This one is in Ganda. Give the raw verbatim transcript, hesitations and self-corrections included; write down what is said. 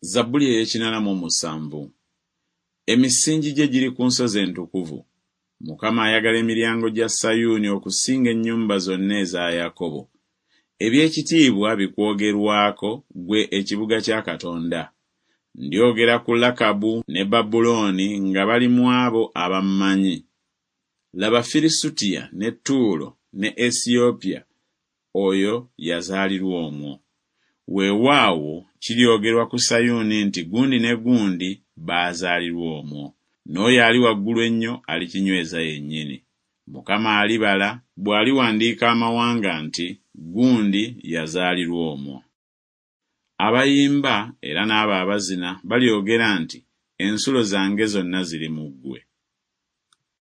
Zabbuli ey'ekinaana mu omusanvu. Emisingi gye giri ku nsozi entukuvu. Mukama ayagala emiryango gya Sayuuni okusinga ennyumba zonna eza Yakobo. Eby'ekitiibwa bikwogerwako ggwe ekibuga kya Katonda. Ndyogera ku Lakabu ne Babulooni nga bali mu abo abammanyi. Laba Filisutiya ne Ttuulo ne Esiyopya oyo yazaalirwa omwo. Weewaawo kiryogerwa ku Sayuuni nti Gundi ne gundi baazaalirwa omwo. N'oyo Ali waggulu ennyo alikinyweza yennyini. Mukama alibala bw'aliwandiika amawanga nti Gundi yazaalirwa omwo. Abayimba era n'abo abazina balyogera nti Ensulo zange zonna ziri mu ggwe.